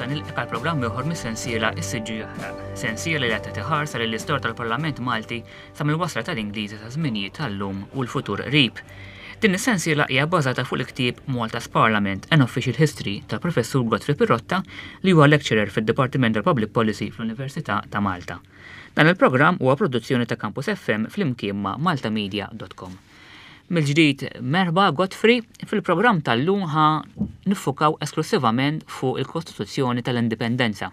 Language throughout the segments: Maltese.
nista' nilqek għal programm ieħor mis-sensiela Is-Siġġu Jaħraq. Sensiela li qed tagħti ħarsa lill-istorja tal-Parlament Malti sa mill-wasla tal-Ingliżi sa żminijiet tal-lum u l-futur qrib. Din is-sensiela hija bbażata fuq il-ktieb Malta's Parliament, An Official History tal-Professur Godfrey Pirotta li huwa lecturer fid-Dipartiment tal-Public Policy fl-Università ta' Malta. Dan il-programm huwa produzzjoni ta' Campus FM flimkien ma' maltamedia.com. Mill-ġdid merħba Godfrey, fil-programm tal-lum ħa niffukaw esklusivament fuq il-Kostituzzjoni tal-Indipendenza.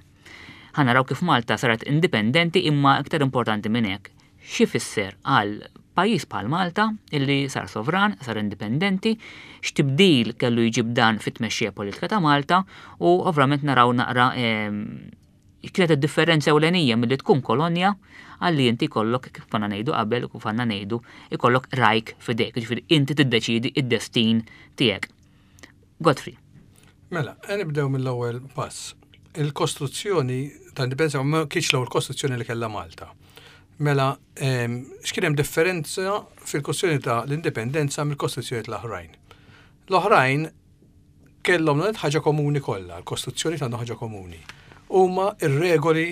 Ħa naraw kif Malta saret indipendenti imma iktar importanti minn hekk, xi fisser għal pajjiż bħal Malta illi sar sovran, sar indipendenti, x'tibdil kellu jġib dan fit-tmexxija politika ta' Malta u ovvjament naraw naqra ehm, Kienet id-differenza ewlenija milli tkun kolonja għal li inti jkollok, kif konna ngħidu qabel u kif għandna ngħidu, ikollok rajk f'idejk, jiġifieri inti tiddeċiedi id-destin tiegħek. Godfrey. Mela, nibdew mill-ewwel pass. Il-kostruzzjoni ta' indipendenza ma kienx l-ewwel kostruzzjoni li kellha Malta. Mela, ehm, x'kien hemm differenza fil-kostruzzjoni ta' l-indipendenza mill-kostruzzjoni tal-oħrajn? L-oħrajn kellhom l ħaġa komuni kollha, l-Kostituzzjoni għandhom ħaġa komuni. Huma r-regoli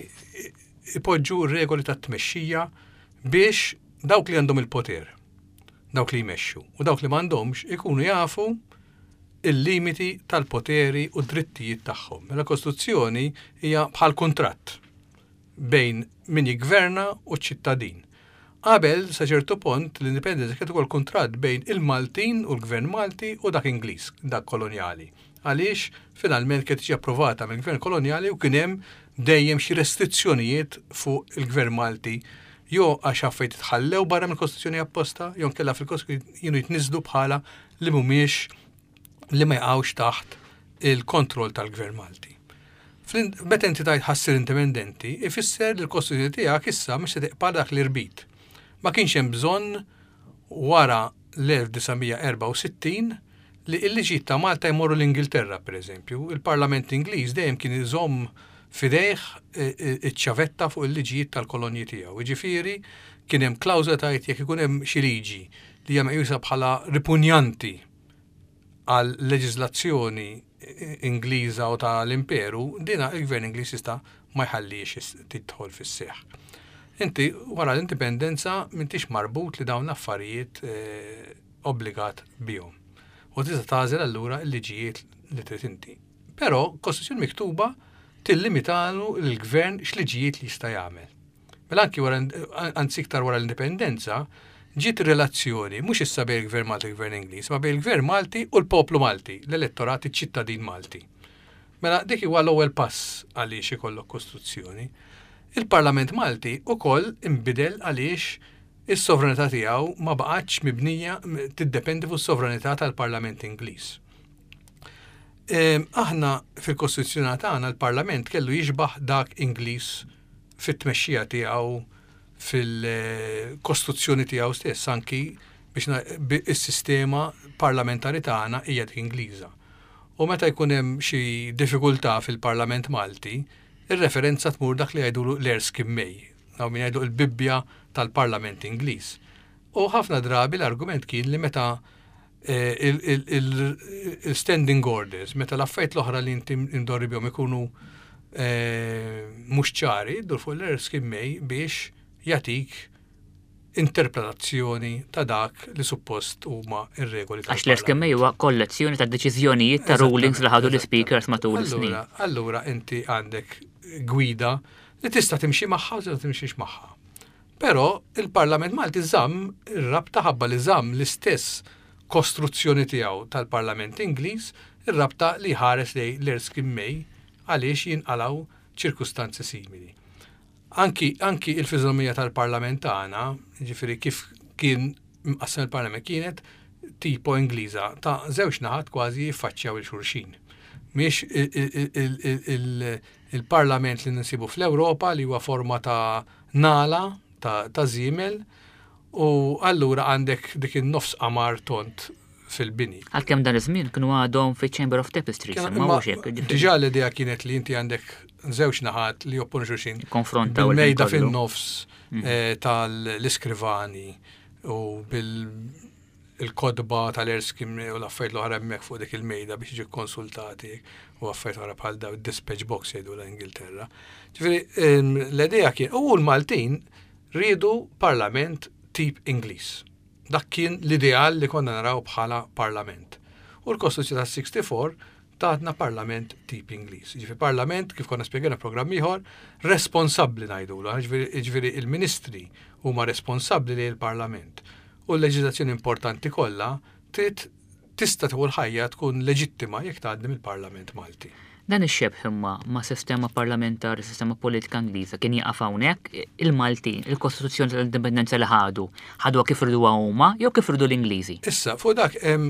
ipoġġu r-regoli tat-tmexxija biex dawk li għandhom il-poter, dawk li jmexxu, u dawk li m'għandhomx ikunu jafu il-limiti tal-poteri u drittijiet tagħhom. Mela Kostituzzjoni hija bħal kuntratt bejn min jiggverna u ċ-ċittadin. Qabel, sa ċertu pont, l-Indipendenza kienet ukoll kuntratt bejn il-Maltin u l-Gvern Malti u dak Ingliż, dak kolonjali. Għaliex finalment kienet tiġi approvata mill-Gvern kolonjali u kien hemm dejjem xi restrizzjonijiet fuq il-Gvern Malti jew għax affarijiet itħallew barra mill-Kostituzzjoni apposta jew inkella fil-Kostituzzjoni kienu jitniżżlu bħala li mhumiex li ma jaqgħux taħt il-kontroll tal-Gvern Malti. Meta inti tgħid ħassir indipendenti, ifisser li l-Kostituzzjoni tiegħek issa mhux se tiqpa' dak l-irbit. Ma kienx hemm bżonn wara l-1964 li l-liġijiet ta' Malta jmorru l-Ingilterra, pereżempju. Il-Parlament Ingliż dejjem kien iżomm f'idejh e, e, iċ-ċavetta fuq il-liġijiet tal-kolonji tiegħu. Jiġifieri kien hemm klawżola tgħid jekk ikun hemm xi liġi li hija meqjusa bħala ripunjanti għal leġiżlazzjoni Ingliża u ta' l-Imperu, dina il-Gvern Ingliż jista' ma jħallix tidħol fis-seħħ. Inti wara l-indipendenza m'intix marbut li dawn l-affarijiet eh, obbligat bihom. U tista' tagħżel allura l-liġijiet li trid inti. Però kostituzzjoni miktuba tillimitalu l-gvern x'liġijiet li jista' jagħmel. Mela anki wara, anzi iktar wara l-indipendenza, ġiet ir-relazzjoni mhux issa bejn il-Gvern Malti u l-Gvern Ingliż, ma bejn il-Gvern Malti u l-poplu Malti, l-elettorat, iċ-ċittadin Malti. Mela dik huwa l-ewwel pass għaliex ikollok kostruzzjoni. Il-Parlament Malti ukoll inbidel għaliex is-sovranità tiegħu ma baqgħetx mibnija tiddependi fuq is-sovranità tal-Parlament Ingliż. Ehm, aħna fil-Kostituzzjoni tagħna l-Parlament kellu jixbaħ dak Ingliż fit-tmexxija tiegħu fil-kostruzzjoni tiegħu stess anki biex is-sistema parlamentari tagħna hija dik Ingliża. U meta jkun hemm xi diffikultà fil-Parlament Malti, ir-referenza tmur dak li jgħidulu l-Erskine May, hawn min jgħidu l-Bibbja tal-Parlament Ingliż. U ħafna drabi l-argument kien li meta eh, il-standing orders, meta l-affarijiet l-oħra li inti indorri bihom ikunu eh, mhux ċari, dur fuq l-Erskine May biex jatik interpretazzjoni ta' dak li suppost huma ir-regoli. Għax l-Erskine May huwa kollezzjoni ta' deċiżjonijiet ta' rulings li ħadu l-speakers matul is-snin. Allura inti għandek gwida li tista' timxi magħha u tista' timxix magħha. Però il-Parlament Malti żamm ir-rabta ħabba li żamm l-istess kostruzzjoni tiegħu tal-Parlament Ingliż, ir-rabta li jħares lejn l-Erskine May għaliex jinqalgħu ċirkustanzi simili. Anki, anki il-fiżonomija tal-Parlament tagħna, jiġifieri kif kien mqassam il-Parlament kienet tipo Ingliża ta' żewġ naħat kważi jiffaċċjaw il xulxin. Mhix il-Parlament li ninsibu fl-Ewropa li huwa forma ta' nagħla ta' żiemel u allura għandek dik in-nofs qamar tond fil-bini. Għalkemm dan iż-żmien kienu għadhom fiċ-Chamber of Tapestries, imma mhux hekk. Diġà l-idea kienet li inti għandek żewġ naħat li jopponu xulxin. Konfrontaw il-mejda fin-nofs mhm. eh, tal-iskrivani u bil il-kotba tal-Erskine u l-affarijiet l-oħra hemmhekk fuq dik il-mejda biex jiġu konsultati u affarijiet oħra bħal daw dispatch box jgħidu l-Ingilterra. Ġifieri l-idea kien u l-Maltin riedu parlament tip Ingliż. Dak kien l-ideal li konna naraw bħala parlament. U l-Kostituzzjoni tas-64 tatna parlament tip Ingliż. Ġifieri parlament, kif konna spjegajna programm ieħor, responsabbli ngħidulu, ġifieri il-ministri huma responsabbli lejn il-parlament. U l-leġiżlazzjoni importanti kollha trid tista' tieħu l-ħajja tkun leġittima jekk tgħaddi mill-Parlament Malti. Dan ix-xebh imma ma' sistema parlamentari, sistema politika Ingliża kien jaqaf hawnhekk il-Maltin, il-Kostituzzjoni tal-Indipendenza li ħadu, ħaduha kif riduha huma jew kif ridu l-Ingliżi? Issa, fuq dak hemm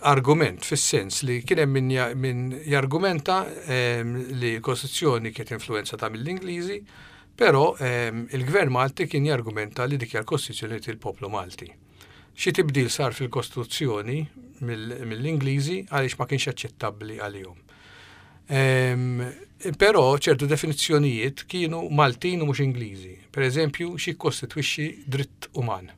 argument fis-sens li kien hemm min, min jargumenta li l-Kostituzzjoni kienet influenzata mill-Ingliżi, però il-Gvern Malti kien jargumenta li dik hija l-Kostituzzjoni li il-poplu Malti. Xi tibdil sar fil-Kostituzzjoni mill-Ingliżi għaliex ma kienx aċċettabbli għalihom. Però ċertu definizzjonijiet kienu Maltin u mhux Ingliżi. Per eżempju, xi kkostitwixxi dritt uman.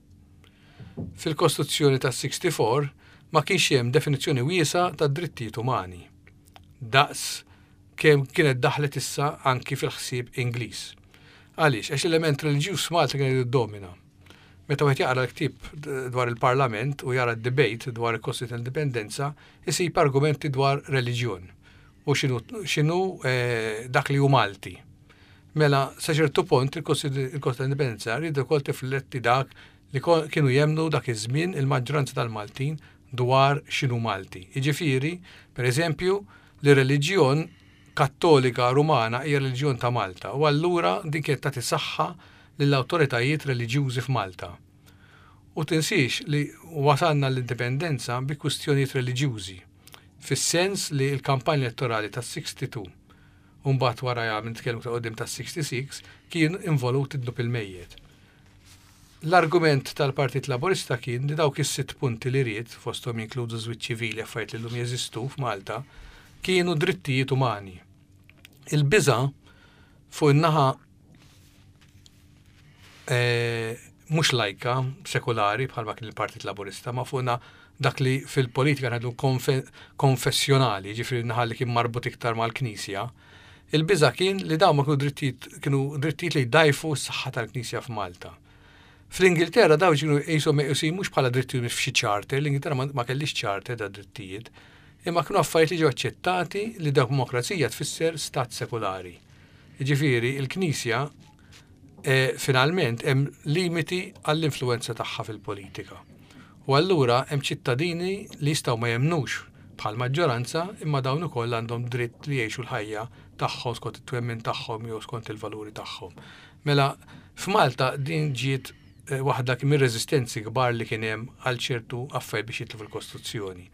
Fil-Kostituzzjoni tas-64 ma kienx hemm definizzjoni wiesgħa tad-drittijiet umani, daqs kemm kienet daħlet issa anki fil-ħsieb Ingliż. Għaliex? Għax l-element reliġjuż f'Malta kien jiddomina. Meta wieħed jaqra l-ktieb dwar il-Parlament u jara d-debate dwar il-Kostituzzjoni tal-Indipendenza, isib argumenti dwar reliġjon u x'inhu eh, dak li hu Malti. Mela, sa ċertu punt il-Kostituzzjoni tal-Indipendenza rridu wkoll tifletti dak li kienu jemmnu dak iż-żmien il-maġġoranza tal-Maltin dwar x'inhu Malti. Jiġifieri, per eżempju, li reliġjon Kattolika Rumana hija reliġjon ta' Malta u allura din kienet tagħti saħħa lill-awtoritajiet reliġjużi f'Malta. U tinsiex li wasalna l-indipendenza bi kwistjonijiet reliġjużi, fis-sens li l-kampanja elettorali tas-62 u mbagħad warajha nitkellmu iktar quddiem tas-66 kien involut id-dnub il-mejjet. L-argument tal-Partit Laburista kien li dawk is-sitt punti li ried, fosthom jinkludu żwieġ ċivili affarijiet li llum jeżistu f'Malta, kienu drittijiet umani. Il-biża' fuq in-naħa eh, mhux lajka, sekulari bħalma kien il-Partit Laburista, ma fuqna dak li fil-politika ngħidu konfessjonali, ġifieri naħa li kien marbut iktar mal-Knisja, il-biża' kien li dawn ma kienu drittijiet kienu drittijiet li jdajfu s-saħħa tal-Knisja f'Malta. Fl-Ingilterra dawn kienu qishom meqjusin mhux bħala drittijiet f'xi charter, l-Ingilterra ma kellix charter ta' drittijiet, imma kienu affarijiet li ġew aċċettati li demokrazija tfisser stat sekulari. Jiġifieri l-Knisja eh, finalment hemm limiti għall-influenza tagħha fil-politika. U allura hemm ċittadini li jistgħu ma jemmnux bħal maġġoranza imma dawn ukoll għandhom dritt li jgħixu l-ħajja tagħhom skont it-twemmin tagħhom jew skont il-valuri tagħhom. Mela f'Malta din ġiet eh, waħda mir-reżistenzi kbar li kien hemm għal ċertu affarijiet biex jitlu fil-Kostituzzjoni.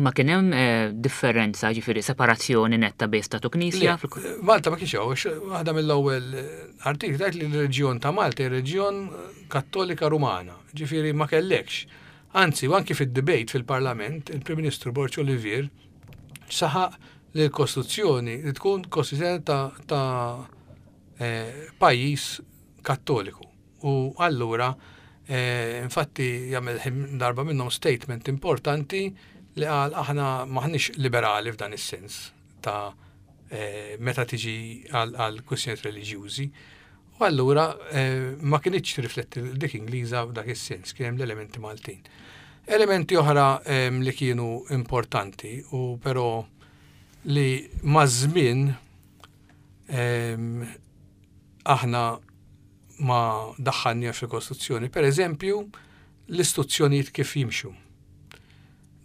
Ma kien hemm eh, differenza, ġifieri separazzjoni netta bejn statu knisja? Malta ma kienx hawn, waħda mill-ewwel eh, artikli tgħid li l-reġjon ta' Malta hija reġjon eh, Kattolika Rumana, ġifieri ma kellekx. Anzi, u anki fid-debate fil-Parlament, il-Prim Ministru Borg Olivier saħaq li l-Kostituzzjoni li tkun kostituzzjoni ta', ta eh, pajjiż Kattoliku. U allura, infatti jagħmel darba minnhom statement importanti li qal aħna maħniex liberali f'dan is-sens ta' meta tiġi għal kwistjonijiet reliġjużi. U allura ma kinitx rifletti dik Ingliża f'dak is-sens, kien hemm l-elementi Maltin. Elementi oħra li kienu importanti u però li maż-żmien aħna ma daħħalniex fil-Kostituzzjoni. Per eżempju, l-istituzzjonijiet kif jimxu.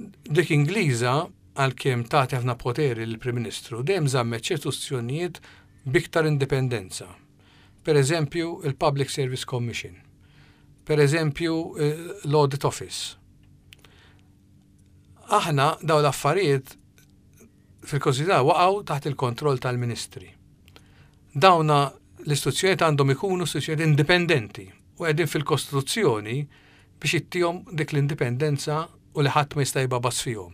Dik Ingliża għalkemm tagħti ħafna poteri lill-Prim Ministru, dejjem żammet ċertu istituzzjonijiet b'iktar indipendenza. Per eżempju, il-Public Service Commission. Per eżempju, l-Audit Office. Aħna dawn l-affarijiet fil-Kostituzzjoni waqgħu taħt il-kontroll tal-ministri. Dawna l-istituzzjonijiet għandhom ikunu istituzzjonijiet indipendenti u qegħdin fil-Kostituzzjoni biex ittihom dik l-indipendenza u li ħadd ma jista' jibgħabas fihom.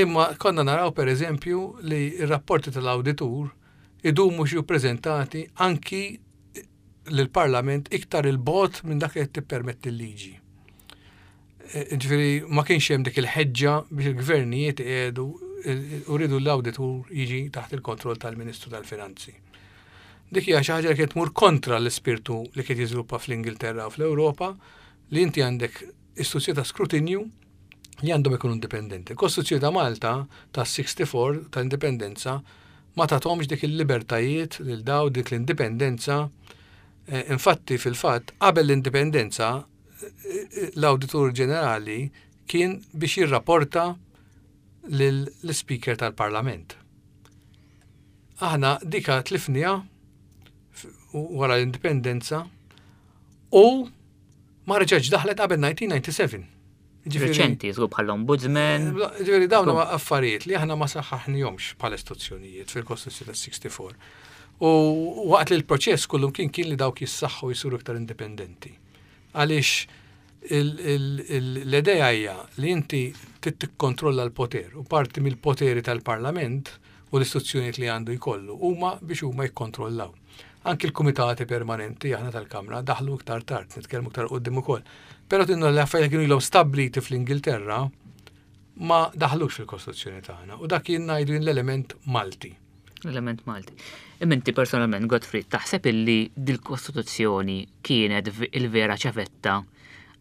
Imma konna naraw per eżempju li r-rapporti tal-awditur idumu xi ppreżentati anki lill-Parlament iktar 'il bogħod minn dak li qed tippermetti l-liġi. Ġifieri ma kienx hemm dik il-ħeġġa biex il-gvernijiet iqiegħdu u rridu l-awditur jiġi taħt il-kontroll tal-Ministru tal-Finanzi. Dik hija xi ħaġa li kienet tmur kontra l-ispirtu li kien jiżviluppa fl-Ingilterra u fl-Ewropa li inti għandek istituzzjoni ta' skrutinju li għandhom ikunu indipendenti. Il-Kostituzzjoni ta' Malta ta' 64 ta' indipendenza ma tathomx dik il-libertajiet lil daw dik l-indipendenza. Eh, infatti fil-fatt qabel l-indipendenza l-Awditur Ġenerali kien biex jirrapporta lill-Speaker tal-Parlament. Aħna dika tlifniha wara l-indipendenza u ma reġgħetx daħlet qabel 1997. Reċenti, żgur bħall-ombudsman. Eh, ġifieri dawn huma affarijiet li aħna ma saħħaħnihomx bħala istituzzjonijiet fil-Kostituzzjoni tas-64. U waqt li l-proċess kullum kien kien li dawk jissaħħu jisiru iktar indipendenti. Għaliex l-idea hija li inti trid tikkontrolla l-poter u parti mill-poteri tal-Parlament u l-istituzzjonijiet li għandu jkollu huma biex huma jikkontrollaw. Anki l-kumitati permanenti aħna tal-Kamra daħlu iktar tard, nitkellmu iktar quddiem ukoll. Però tinnu l-affarijiet kienu ilhom stabbliti fl-Ingilterra ma daħlux fil-Kostituzzjoni tagħna u dak jien ngħidu jien l-element Malti. L-element Malti. Imma inti personalment, Godfrey, taħseb illi dil-Kostituzzjoni kienet il-vera ċavetta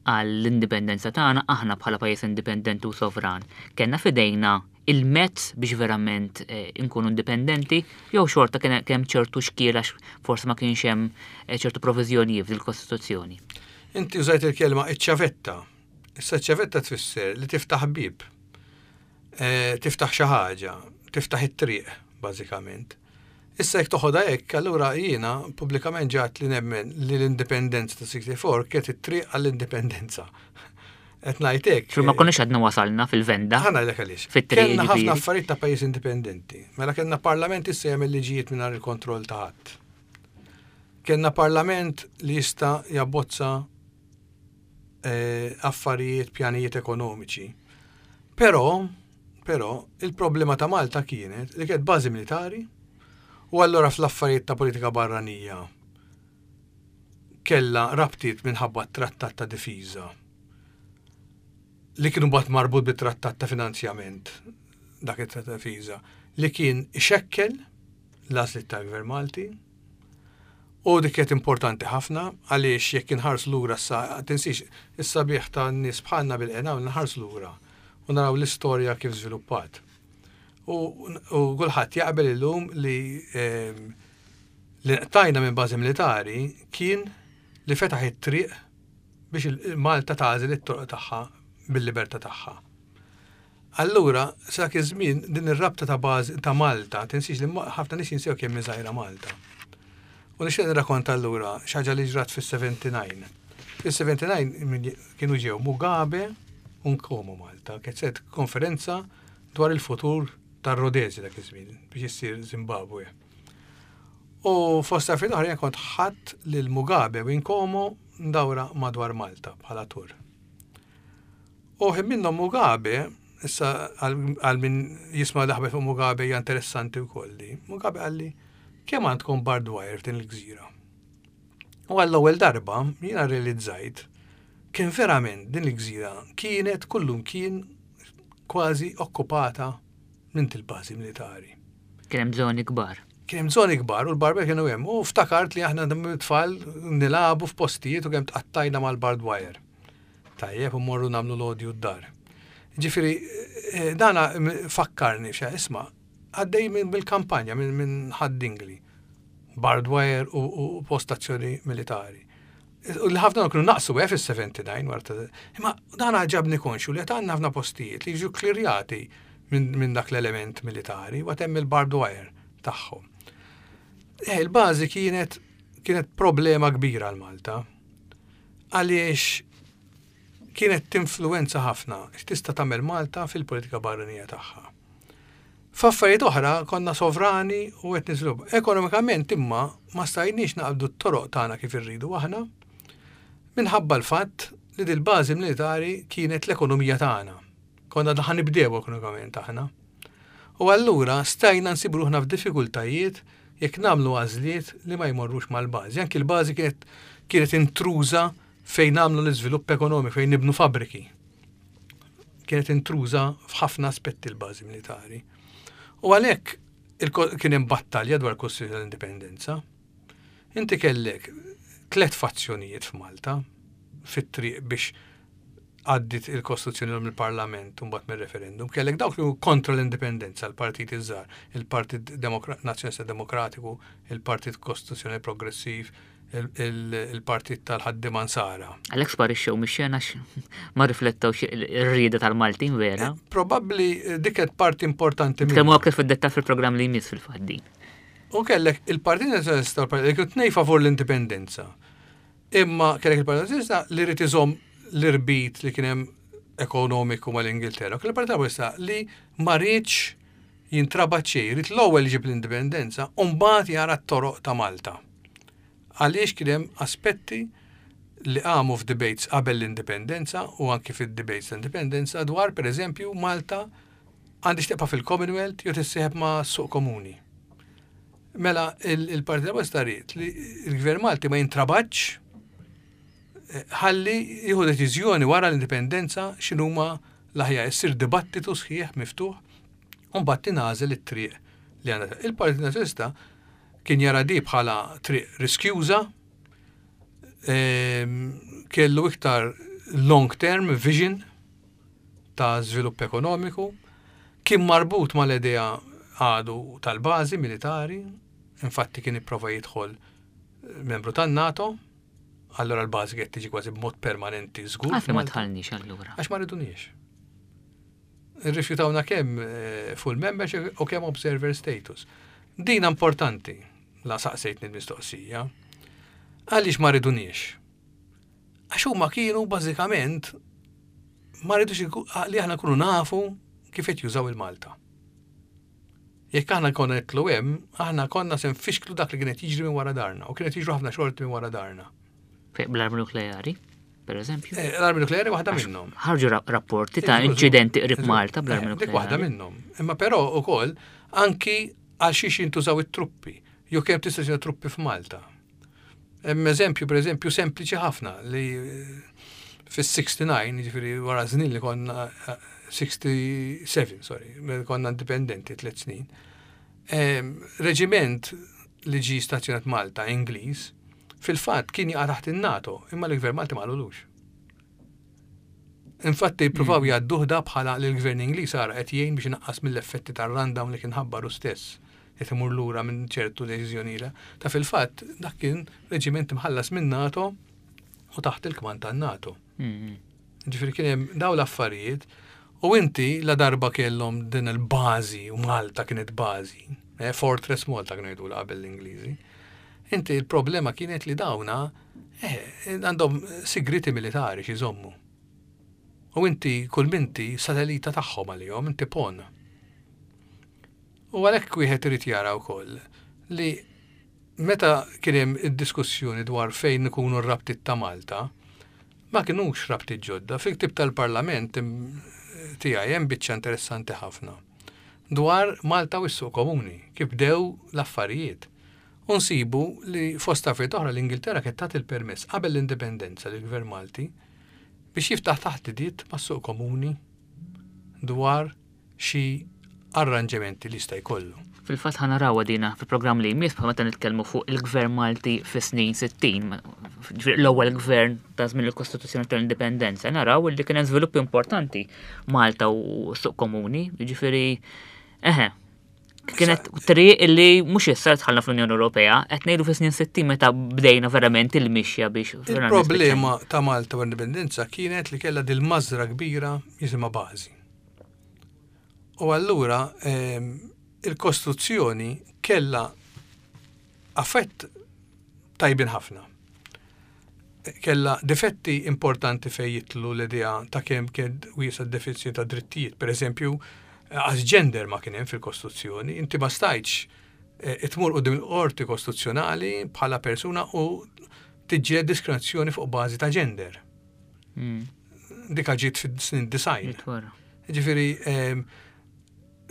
għall-indipendenza tagħna aħna bħala pajjiż indipendenti u sovran. Kellna f'idejna il-mezz biex verament eh, inkunu indipendenti jew xorta kien hemm ċertu xkiel għax forsi ma kienx hemm eh, ċertu proviżjonijiet fil-Kostituzzjoni. Inti użajt il-kelma iċ-ċavetta. Issa ċ-ċavetta tfisser li tiftaħ bib. Eh, tiftaħ xi ħaġa, tiftaħ it-triq, bażikament. Issa jekk toħodha hekk, allura jiena pubblikament ġat li nemmen li l-indipendenza ta' 64 kienet it-triq għall-indipendenza. Qed ngħid hekk. Ma konniex għadna wasalna fil-venda. Ħa ngħidlek għaliex. Fit-triq. Kellna ħafna affarijiet ta' pajjiż indipendenti. Mela kellna parlament issa jagħmel liġijiet mingħajr il-kontroll ta' ħadd. Kellna parlament li jista' jabbozza eh, affarijiet, pjanijiet ekonomiċi. Però, però, il-problema ta' Malta kienet li kienet bażi militari u allura fl-affarijiet ta' politika barranija kellha rabtiet minħabba t-trattat ta' difiża li kienu bat marbut bit-trattat ta' finanzjament dak it-trattat ta' difiża li kien ixekkel l-għażliet tal-Gvern Malti u dik kienet importanti ħafna għaliex jekk inħarsu lura sa tinsix is-sabiħ ta' nies bħalna bil-qena u nħarsu lura u naraw l-istorja kif żviluppat. U, u kulħadd jaqbel illum li ehm, li nqtajna minn bażi militari kien li fetaħ it-triq biex Malta tagħżel it-toroq tagħha bil-libertà tagħha. Allura, sa dak iż-żmien din ir-rabta ta' bażi ta' Malta, tinsiex li ħafna nies jinsew kemm hi żgħira Malta. U nixtieq nirrakonta allura xi ħaġa li ġrat fis-79. Fis-79 kienu ġew Mugabe u Nkomo Malta, kienet konferenza dwar il-futur tar-Rodezja dak iż-żmien biex issir Zimbabwe. U fost affarijiet oħra jien kont ħadt lil Mugabe u Nkomo ndawra madwar Malta bħala tur. U ħin minnhom Mugabe, issa għal min jisma' l-aħbar fuq Mugabe hija interessanti wkoll di. Mugabe qalli kemm għandkom barbed wire f'din il-gżira? U għall-ewwel darba jiena realizzajt kemm verament din il-gżira kienet kullum kien kważi okkupata minn til-bażi militari. Kien hemm żoni kbar. Kien hemm żoni kbar u l-barber kienu hemm. U ftakart li aħna tfal nilagħbu f'postijiet u kemm tqattajna mal-barbed wire. Tajjeb, u morru nagħmlu l-odju d-dar. Ġifieri, eh, dana fakkarni xa isma' għaddej mill-kampanja minn Ħad-Dingli. Barbed wire u postazzjoni militari. U li ħafna kienu naqsu eh, fis-79 wara ta' Imma dan ġabni konxju li qed għandna ħafna postijiet li jiġu klirjati minn dak l-element militari u hemm il-barbed wire tagħhom. Eh, il-bażi kienet kienet problema kbira għal Malta. Għaliex kienet tinfluwenza ħafna x'tista' tagħmel Malta fil-politika barranija tagħha. F'affarijiet oħra konna sovrani u qed niżviluppaw. Ekonomikament imma ma stajniex naqbdu t-toroq tagħna kif irridu aħna minħabba l-fatt li dil-bażi militari kienet l-ekonomija tagħna. Konna ħa nibdew ekonomikament aħna. U allura stajna nsibu ruħna f'diffikultajiet jekk nagħmlu għażliet li ma jmorrux mal-bażi. Anki l-bażi kienet kienet intruża fejn nagħmlu l-iżvilupp ekonomiku, fejn nibnu fabbriki. Kienet intruża f'ħafna aspetti l-bażi militari. U għalhekk kien hemm battalja dwar kwestjoni tal-indipendenza. Inti kellek tlet fazzjonijiet f'Malta fit-triq biex għaddit il-Kostituzzjoni mill-Parlament u mbagħad mir-referendum. Kellek dawk li kontra l-indipendenza, l-partiti żgħar, il-Partit Nazzjonalista Demokratiku, il-Partit Kostituzzjonali Progressiv, il-Partit tal-Ħaddiema Nsara. Għalhekk sparixxew mix-xena ma riflettewx ir-rieda tal-Maltin vera. Eh, probabbli eh, dik qed parti importanti. Tkellmu aktar fid-dettall fil-programm li jmiss fil-faddi. U kellek il-Partit Nazzjonalista u l-Partit li kienu tnej favur l-indipendenza. Imma kellek il-Partit Nazzjonalista li rrid iżomm l-irbit li kien hemm ekonomiku mal-Ingilterra. Kellek il-Partit Laburista li ma riedx jintrabat xejn, ried l-ewwel iġib l-indipendenza u mbagħad jara t-toroq ta' Malta. Għaliex kien hemm aspetti li qamu f'debates qabel l-indipendenza u anki fid-debates ta' indipendenza dwar pereżempju Malta għandhiex tibqa' fil-Commonwealth jew tissieħeb ma' suq komuni. Mela il-Partit Laburista ried li l-Gvern Malti ma jintrabatx eh, ħalli jieħu deċiżjoni wara l-indipendenza x'inhuma l-aħjar issir dibattitu sħiħ miftuħ u mbagħad tingħażel it-triq li għandha. Il-Partit Nazzjonalista kien jara di bħala triq riskjuża, ehm, kellu iktar long term vision ta' żvilupp ekonomiku, kien marbut mal-idea għadu tal-bażi militari, infatti kien ipprova jidħol membru tan-NATO, allora l-bażi qed tiġi kważi b'mod permanenti żgur. Għalfejn ma dħalniex allura? Għax ma riduniex. Irrifjutawna kemm eh, full membership u kemm observer status. Dina importanti, la saqsejtni l-mistoqsija. Għaliex ma riduniex? Għax huma kienu bażikament ma rridux li aħna nkunu nafu kif qed jużaw il-Malta. Jekk aħna konna nitlu hemm, aħna konna se nfixklu dak li kienet jiġri minn wara darna u kienet jiġru ħafna xorti minn wara darna. Bl-armi nukleari, per eżempju? Eh, l-armi nukleari waħda minnhom. Ħarġu rapporti ta' inċidenti qrib Malta bl-armi eh, nukleari. Dik waħda minnhom. Imma però ukoll anki għal xiex jintużaw it-truppi, jew kemm tista' truppi f'Malta. Hemm eżempju, per eżempju, sempliċi ħafna li eh, fis-69, jiġifieri wara żnien li konna 67, eh, sorry, konna indipendenti tliet snin. Ehm, reġiment li ġi stazzjonat Malta, Ingliż, fil-fatt kien jaqa' taħt in-NATO, imma l-Gvern Malti ma qalulux. Infatti jippruvaw mm. jgħadduh da bħala li l-gvern Ingliż ara qed jgħin biex inaqqas mill-effetti tar-rundown li kien ħabbaru stess qed imur lura minn ċertu deċiżjonijiet. Ta' fil-fatt dak kien reġiment imħallas minn NATO u taħt il-kmand tan-NATO. Mm. Ġifieri kien hemm daw l-affarijiet u inti la darba kellhom din il-bażi u Malta kienet bażi, eh, Fortress Malta kienu jgħidu qabel l-Ingliżi. Inti il-problema kienet li dawna Eh, għandhom sigriti militari xi jżommu. U inti kull minti satellita tagħhom għalihom, inti pon. U għalhekk wieħed irid jara wkoll li meta kien hemm id-diskussjoni dwar fejn ikunu r-rabtiet ta' Malta, ma kinux rabtiet ġodda. Fil-ktib tal-Parlament tiegħi hemm biċċa interessanti ħafna dwar Malta u s-suq komuni, kif bdew l-affarijiet. U nsibu li fost affarijiet oħra l-Ingilterra kienet tat il-permess qabel l-indipendenza lill-Gvern Malti biex jiftaħ taħdidiet mas-suq komuni dwar xi arranġamenti li jista' jkollu. Fil-fatt ħa narawha dina fil-programm li jmiss bħal meta nitkellmu fuq il-Gvern Malti fis-snin 60, l-ewwel gvern ta' żmien il-Kostituzzjoni tal-Indipendenza, naraw li kien hemm żviluppi importanti Malta u suq komuni, jiġifieri eħe, Kienet triq illi mhux issa dħalna fl-Unjoni Ewropea, qed ngħidu fis-snin 60 meta bdejna verament il-mixja biex. Il-problema ta' Malta u indipendenza kienet li kellha dil-mażra kbira jisimha bażi. U allura ehm, il-kostruzzjoni kellha affett tajbin ħafna. Kellha difetti importanti fejn jidħlu l-idea ta' kemm kien wiesa' d-definizzjoni ta' drittijiet. Per eżempju, għax gender ma kien hemm fil-Kostituzzjoni, inti ma stajtx eh, tmur quddiem il-qorti kostituzzjonali bħala persuna u tiġġieled diskriminazzjoni fuq bażi ta' gender. Hmm. Dika ġiet fis-snin design. Ġifieri, ehm,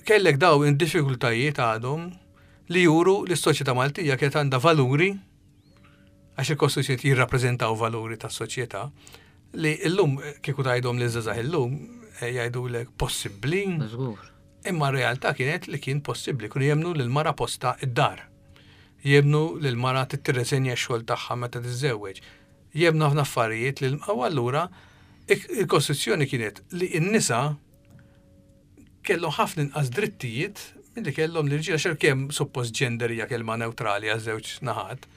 kellek daw in-diffikultajiet għadhom li juru li s-soċjetà Maltija kienet għandha valuri għax il-kostituzzjonijiet jirrappreżentaw valuri tas-soċjetà li llum kieku tgħidhom li żgħażagħ illum jgħidulek possibbli. Żgur. Imma r-realtà kienet li kien possibbli, kienu jemmnu li l-mara posta id-dar. Jemmnu li l-mara tirreżenja x-xogħol tagħha meta tiżżewweġ. Jemmnu ħafna affarijiet li u allura il-Kostituzzjoni kienet li n-nisa kellhom ħafna inqas drittijiet milli kellhom l-irġiel għax kemm suppost gender hija kelma newtrali għaż-żewġ naħat.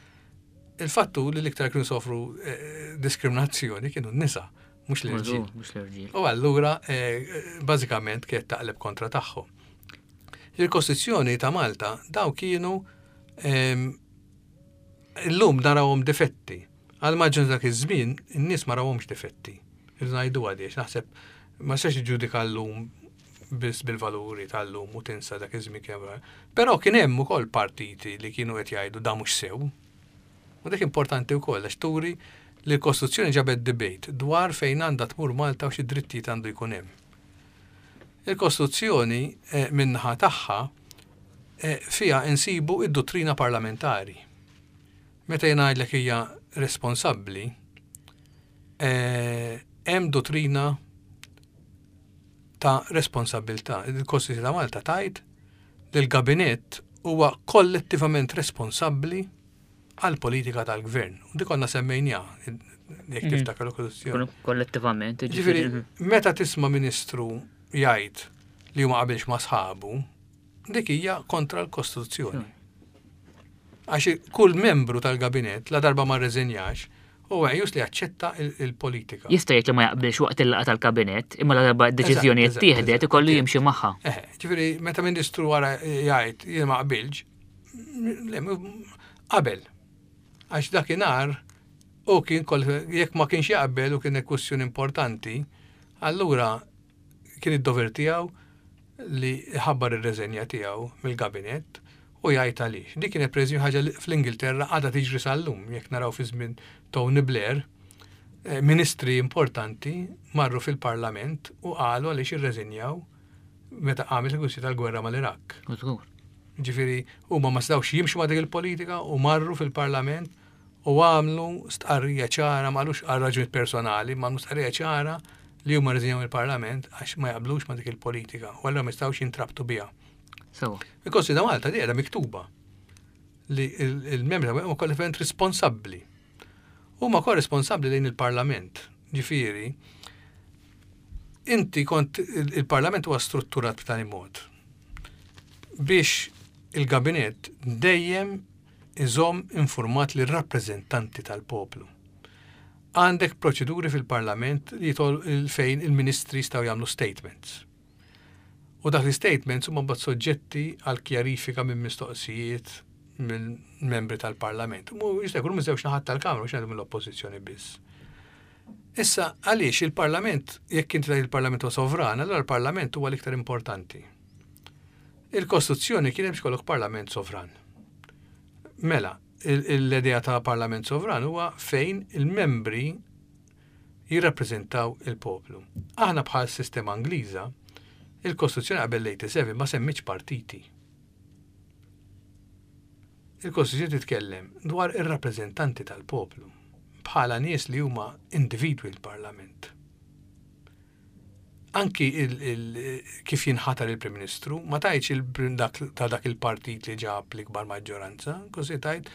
Il-fatt hu li l-iktar kienu sofru eh, diskriminazzjoni kienu n-nisa, mhux l-irġiel. Mhux l-irġiel. U allura eh, bażikament kienet taqleb kontra tagħhom. Il-Kostituzzjoni ta' Malta daw kienu ehm, illum narawhom difetti. Għal maġġun dak iż-żmien in-nies ma rawhomx difetti. Irridu ngħidu għaliex naħseb ma sax ġudika llum biss bil-valuri tal-lum u tinsa dak iż-żmien kemm. Però kien hemm ukoll partiti li kienu qed jgħidu da mhux sew. U dik importanti wkoll għax turi li l-Kostituzzjoni ġabet debate dwar fejn għandha tmur Malta u xi drittijiet għandu jkun hemm. Il-Kostituzzjoni eh, min-naħa tagħha eh, fiha insibu id-dottrina parlamentari. Meta jien ngħidlek hija responsabbli, eh, hemm dottrina ta' responsabbiltà. Il-Kostituzzjoni ta' Malta tgħid li l-Gabinett huwa kollettivament responsabbli għall-politika tal-gvern. U dik konna semmejnija, jekk tiftakar l-Kostituzzjoni. Kollettivament, Ġifieri, meta tisma' ministru jgħid li huma qabilx ma' sħabu, dik hija kontra l-Kostituzzjoni. Għax kull membru tal-gabinett la darba ma rreżenjax, huwa meqjus li jaċċetta il-politika. Jista' jgħid li ma jaqbilx waqt il-laqgħa tal-kabinett, imma la darba d-deċiżjoni ttieħdet ikollu jimxi magħha. Eh, ġifieri meta ministru wara jgħid jien ma qbilx, qabel. Għax dakinhar u kien jekk ma kienx jaqbel u kien kwestjoni importanti, allura kien id-dover tiegħu li ħabbar ir-reżenja tiegħu mill-gabinett u jgħid għaliex. Dik kienet pereżempju ħaġa li fl-Ingilterra għadha tiġri sal-lum, jekk naraw fi żmien Tony Blair, eh, ministri importanti marru fil-parlament u qalu għaliex irreżenjaw meta qamet il-kwistjoni tal-gwerra mal-Iraq. Ġifieri huma ma setgħux jimxu ma' dik il-politika u marru fil-parlament u għamlu stqarrija ċara, ma qalux għal raġunijiet personali, ma għamlu stqarrija ċara li huma rriżenjaw mill-Parlament għax ma jaqblux ma' dik il-politika u allura ma jistgħux jintrabtu biha. Sewa. Il-Kostituzzjoni ta' Malta di qiegħda miktuba li il-membri ta' huma kollettivament responsabbli. Huma wkoll responsabbli lejn il-Parlament. Ġifieri, inti kont il-Parlament huwa strutturat b'tali mod biex il-gabinett dejjem iżomm infurmat lir-rappreżentanti tal-poplu. Għandek proċeduri fil-Parlament li jitol fejn il-ministri jistgħu jagħmlu statements. U dak l-statements huma mbagħad soġġetti għal kjarifika minn mistoqsijiet mill-membri tal-Parlament. Mu jista' jkunu miż-żewġ naħat tal-Kamra mhux ngħidu mill-Oppożizzjoni biss. Issa għaliex il-Parlament, jekk inti tgħid il-Parlament huwa sovran, allura l-Parlament huwa l-iktar importanti. Il-Kostituzzjoni kien hemm biex ikollok Parlament sovran. Mela, l-idea ta' Parlament sovran huwa fejn il-membri jirrappreżentaw il-poplu. Aħna bħal sistema Ingliża, il-Kostituzzjoni qabel l-87 ma semmitx partiti. Il-Kostituzzjoni titkellem dwar ir-rappreżentanti tal-poplu bħala nies li huma individwi l-Parlament. Anki kif jinħatar il-Prim Ministru, ma tajtx dak ta' dak il-partit li ġab l-ikbar maġġoranza, kossi tajt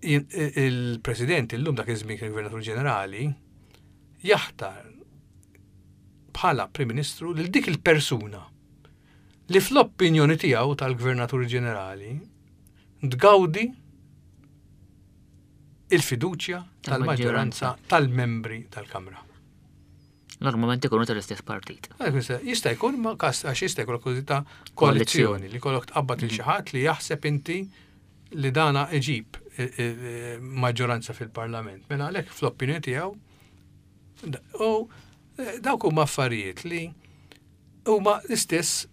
il-President illum dak iż-żmien kien Gvernatur Ġenerali jaħtar bħala Prim Ministru lil dik il-persuna li fl-opinjoni tiegħu tal-Gvernatur Ġenerali tgawdi il-fiduċja tal-maġġoranza tal-membri tal-Kamra. Normalment ikunu tal-istess partit. Jista' jkun ma kas għax jista' jkun kważi ta' koalizzjoni li kollok tqabbad il xi ħadd li jaħseb inti li dana iġib eh, eh, maġġoranza fil-Parlament. Mela għalhekk fl-opinjoni tiegħu u eh, dawk huma affarijiet li huma l-istess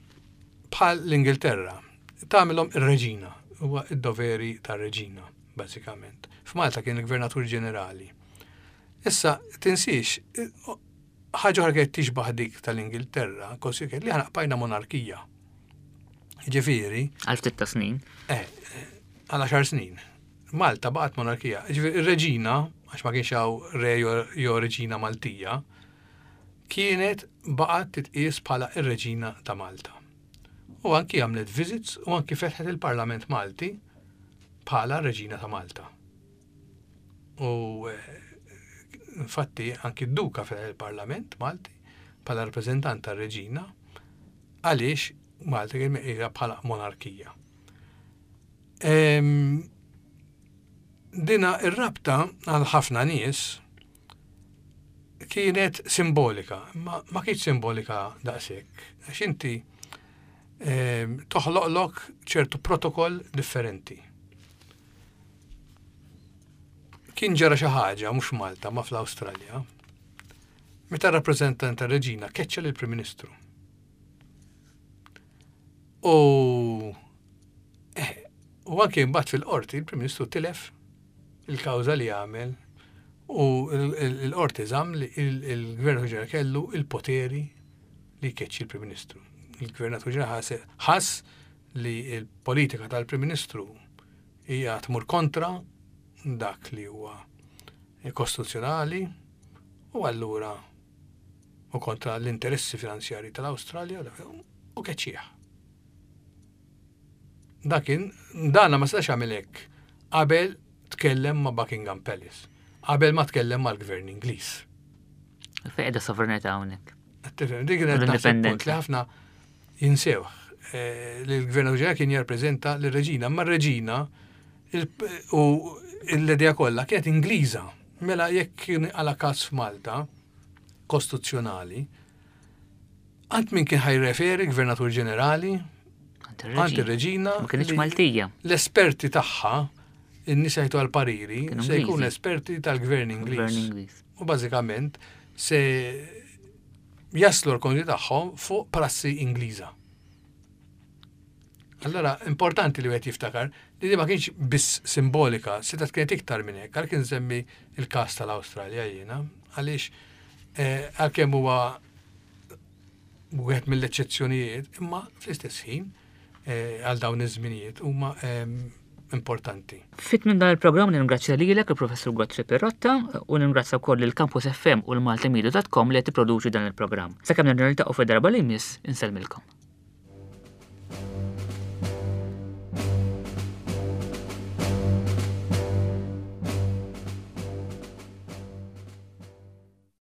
bħal l-Ingilterra. Tagħmilhom ir-reġina, huwa id-doveri tar-reġina, bażikament. F'Malta kien il-Gvernatur Ġenerali. Issa, tinsiex, ħaġa oħra kienet tixbaħ dik tal-Ingilterra, kosi kienet li aħna qbajna monarkija. Ġifieri. Għal ftit ta' snin. Eh, għal għaxar snin. Malta baqgħet monarkija. Ġifieri ir-reġina, għax ma kienx hawn re jew reġina Maltija, kienet baqgħet titqies bħala r-Reġina ta' Malta. U anki għamlet visits u anki fetħet il-Parlament Malti bħala Reġina ta' Malta. U eh, infatti anki d-duka fetħet il-Parlament Malti bħala rappreżentant tar-Reġina għaliex Malta kien meqija bħala monarkija. Ehm, dina ir-rabta għal ħafna nies kienet simbolika, ma, ma kienx simbolika daqshekk, għax inti ehm, toħloqlok ċertu protokoll differenti. Kien ġara xi ħaġa mhux Malta ma fl-Awstralja. Meta rappreżentant tar-reġina keċċa lill-Prim Ministru. U eh, u anke mbagħad fil-qorti il-Prim Ministru tilef il-kawża li għamel u l-qorti żamm li il-Gvern ġenerali kellu il-poteri li jkeċċi l-Prim Ministru. Il-Gvernatur ġenerali ħass li l-politika tal-Prim Ministru hija tmur kontra dak li huwa kostituzzjonali u allura u kontra l-interessi finanzjarji tal-Awstralja u keċċieħ. Dakin, dana ma setax jagħmel hekk qabel tkellem ma' Buckingham Palace, qabel ma tkellem mal-gvern Ingliż. Fejn qiegħda sovranità hawnhekk. Tifhem, dik kienet naħseb punt li ħafna jinsewh eh, li l-gvern ġenerali kien jirrappreżenta lir-reġina, ma r-reġina u l-idea kollha kienet Ingliża. Mela jekk kien għala każ f'Malta kostituzzjonali, Għand min kien ħajreferi gvernatur ġenerali? Għand ir-reġina. Ma kienx Maltija. L-esperti tagħha, in-nies jgħidu għal-pariri, se jkun esperti tal-gvern Ingliż. U bażikament se jaslu l-konti tagħhom fuq prassi Ingliża. Allora, importanti li wieħed jiftakar li di ma kienx biss simbolika, setgħet kienet iktar minn hekk, għalhekk insemmi il-każ tal-Awstralja jiena, għaliex eh, għalkemm huwa wieħed mill-eċċezzjonijiet, imma fl-istess ħin eh, għal dawn iż-żminijiet huma ehm, importanti. Fit minn dan il-programm ningrazzja lilek il-Professur Godfrey Pirrotta u ningrazzja wkoll lil Campus FM u l-maltimedia.com li qed tipproduċi dan il-programm. Sakemm nerġa' niltaqgħu fid-darba li jmiss, insellmilkom.